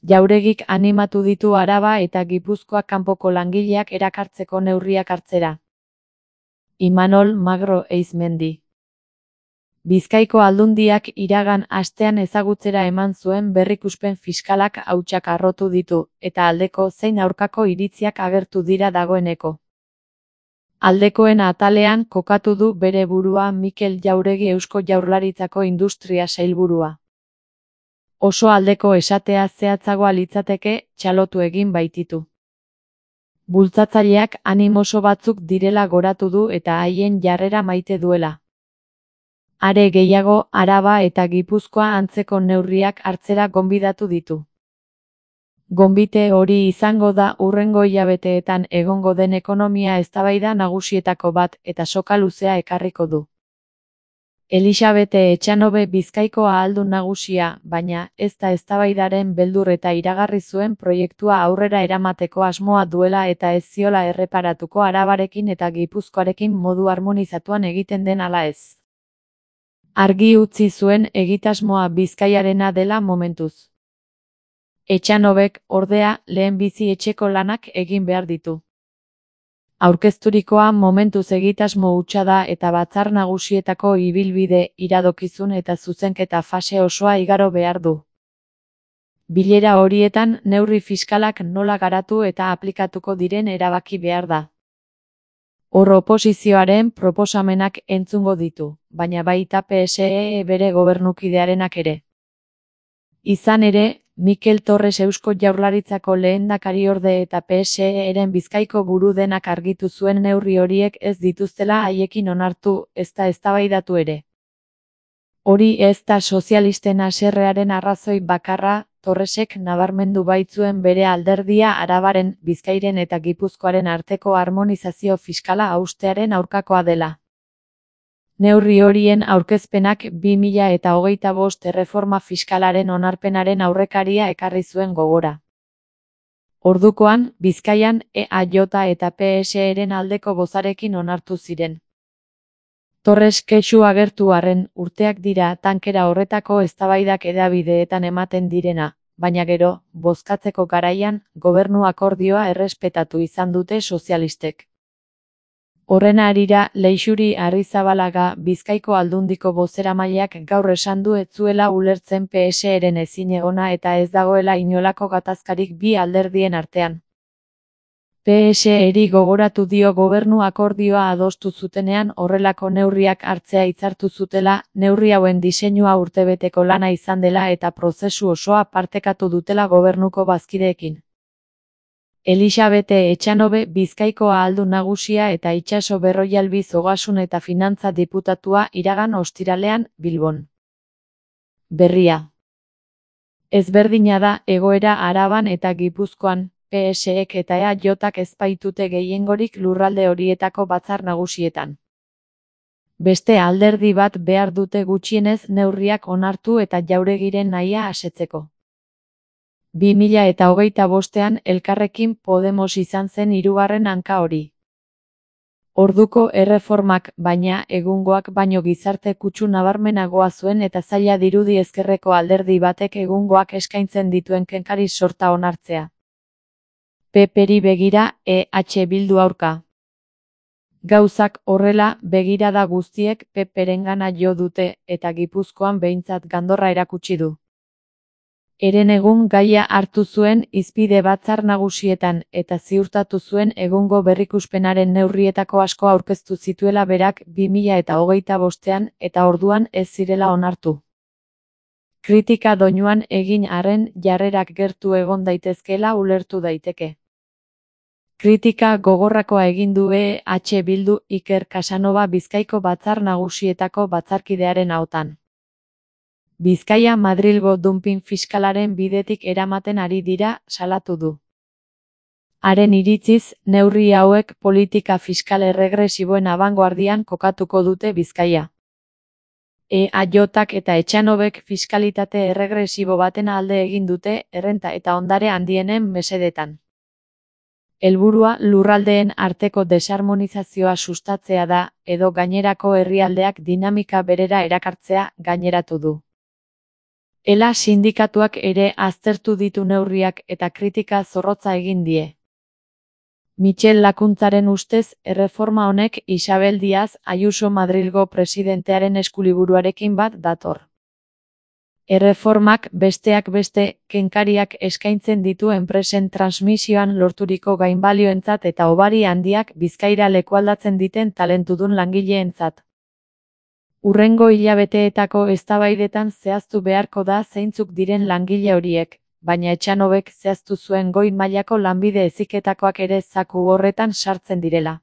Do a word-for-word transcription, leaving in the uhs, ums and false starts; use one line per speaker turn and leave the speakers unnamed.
Jauregik animatu ditu Araba eta Gipuzkoa kanpoko langileak erakartzeko neurriak hartzera. Imanol Magro Eizmendi. Bizkaiko Aldundiak iragan astean ezagutzera eman zuen berrikuspen fiskalak hautsak harrotu ditu, eta aldeko zein aurkako iritziak agertu dira dagoeneko. Aldekoen atalean kokatu du bere burua Mikel Jauregi Eusko Jaurlaritzako Industria Sailburua. Oso aldeko esatea zehatzagoa litzateke, txalotu egin baititu. Bultzatzaileak animoso batzuk direla goratu du eta haien jarrera maite duela. Are gehiago, Araba eta Gipuzkoa antzeko neurriak hartzera gonbidatu ditu. Gonbite hori izango da hurrengo hilabeteetan egongo den ekonomia eztabaida nagusietako bat eta soka luzea ekarriko du. Elisabete Etxanobe Bizkaiko ahaldun nagusia, baina ez da eztabaidaren beldur eta iragarri zuen proiektua aurrera eramateko asmoa duela eta ez ziola erreparatuko Arabarekin eta Gipuzkoarekin modu harmonizatuan egiten den ala ez. Argi utzi zuen egitasmoa Bizkaiarena dela momentuz. Etxanobek, ordea, lehenbizi etxeko lanak egin behar ditu. Aurkezturikoa momentuz egitasmo hutsa da eta batzar nagusietako ibilbide, iradokizun eta zuzenketa fase osoa igaro behar du. Bilera horietan neurri fiskalak nola garatu eta aplikatuko diren erabaki behar da. Hor oposizioaren proposamenak entzungo ditu, baina baita P S E bere gobernukidearenak ere. Izan ere, Mikel Torres Eusko Jaurlaritzako lehendakariorde eta P S E-ren Bizkaiko buru denak argitu zuen neurri horiek ez dituztela haiekin onartu, ezta eztabaidatu ere. Hori ez da sozialisten haserrearen arrazoi bakarra, Torresek nabarmendu baitzuen bere alderdia Arabaren, Bizkairen eta Gipuzkoaren arteko harmonizazio fiskala haustearen aurkakoa dela. Neurri horien aurkezpenak bi mila eta hogeita bost erreforma fiskalaren onarpenaren aurrekaria ekarri zuen gogora. Ordukoan, Bizkaian E A J eta P S E-ren aldeko bozarekin onartu ziren. Torres kexu agertu arren, urteak dira tankera horretako eztabaidak hedabideetan ematen direna, baina gero, bozkatzeko garaian, gobernu akordioa errespetatu izan dute sozialistek. Horren harira, Leixuri Arrizabalaga, Bizkaiko Aldundiko bozeramaileak gaur esan du ez zuela ulertzen P S E-ren ezinegona eta ez dagoela inolako gatazkarik bi alderdien artean. P S E-ri gogoratu dio gobernu akordioa adostu zutenean horrelako neurriak hartzea hitzartu zutela, neurri hauen diseinua urtebeteko lana izan dela eta prozesu osoa partekatu dutela gobernuko bazkideekin. Elisabete Etxanobe Bizkaiko ahaldun nagusia eta Itxaso Berroialbiz Ogasun eta Finantza diputatua iragan ostiralean, Bilbon. Berria. Ezberdina da egoera Araban eta Gipuzkoan, P S E-ek eta E A J-ak ez baitute gehiengorik lurralde horietako batzar nagusietan. Beste alderdi bat behar dute gutxienez neurriak onartu eta Jauregiren nahia asetzeko. bi mila eta hogeita bostean Elkarrekin Podemos izan zen hirugarren hanka hori. Orduko erreformak, baina, egungoak baino gizarte kutsu nabarmenagoa zuen eta zaila dirudi ezkerreko alderdi batek egungoak eskaintzen dituen kenkari sorta onartzea. P P-ri begira, E H Bildu aurka. Gauzak horrela, begirada guztiek P P-rengana jo dute, eta Gipuzkoan behintzat gandorra erakutsi du. Heren egun gaia hartu zuen hizpide batzar nagusietan eta ziurtatu zuen egungo berrikuspenaren neurrietako asko aurkeztu zituela berak bi mila eta hogeita bostean eta orduan ez zirela onartu. Kritika doinuan egin arren jarrerak gertu egon daitezkeela ulertu daiteke. Kritika gogorrakoa egin du E H Bildu Iker Casanova Bizkaiko batzar nagusietako batzarkidearen ahotan. Bizkaia Madrilgo dumping fiskalaren bidetik eramaten ari dira, salatu du. Haren iritziz, neurri hauek politika fiskal erregresiboen abangoardian kokatuko dute Bizkaia. E A J-ak eta Etxanobek fiskalitate erregresibo baten alde egin dute errenta eta ondare handienen mesedetan. Helburua lurraldeen arteko desarmonizazioa sustatzea da, edo gainerako herrialdeak dinamika berera erakartzea, gaineratu du. Ela sindikatuak ere aztertu ditu neurriak eta kritika zorrotza egin die. Michel Lakuntzaren ustez, erreforma honek Isabel Díaz Ayuso Madrilgo presidentearen eskuliburuarekin bat dator. Erreformak besteak beste, kenkariak eskaintzen ditu enpresen transmisioan lorturiko gainbalioentzat eta hobari handiak Bizkaira lekualdatzen diten talentudun langileentzat. Hurrengo hilabeteetako eztabaidetan zehaztu beharko da zeintzuk diren langile horiek, baina Etxanobek zehaztu zuen goi mailako lanbide heziketakoak ere zaku horretan sartzen direla.